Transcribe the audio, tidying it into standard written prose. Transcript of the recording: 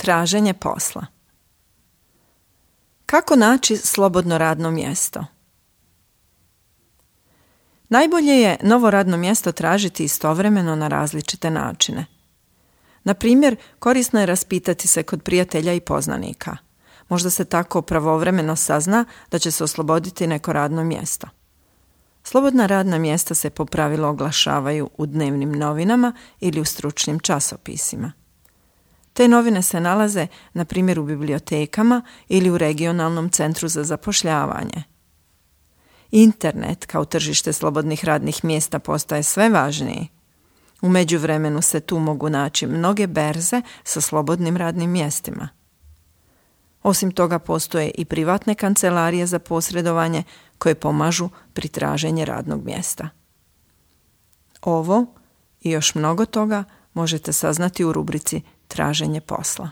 Traženje posla. Kako naći slobodno radno mjesto? Najbolje je novo radno mjesto tražiti istovremeno na različite načine. Na primjer, korisno je raspitati se kod prijatelja i poznanika. Možda se tako pravovremeno sazna da će se osloboditi neko radno mjesto. Slobodna radna mjesta se po pravilu oglašavaju u dnevnim novinama ili u stručnim časopisima. Te novine se nalaze, na primjer, u bibliotekama ili u regionalnom centru za zapošljavanje. Internet kao tržište slobodnih radnih mjesta postaje sve važniji. U međuvremenu se tu mogu naći mnoge berze sa slobodnim radnim mjestima. Osim toga postoje i privatne kancelarije za posredovanje koje pomažu pri traženju radnog mjesta. Ovo i još mnogo toga možete saznati u rubrici Traženje posla.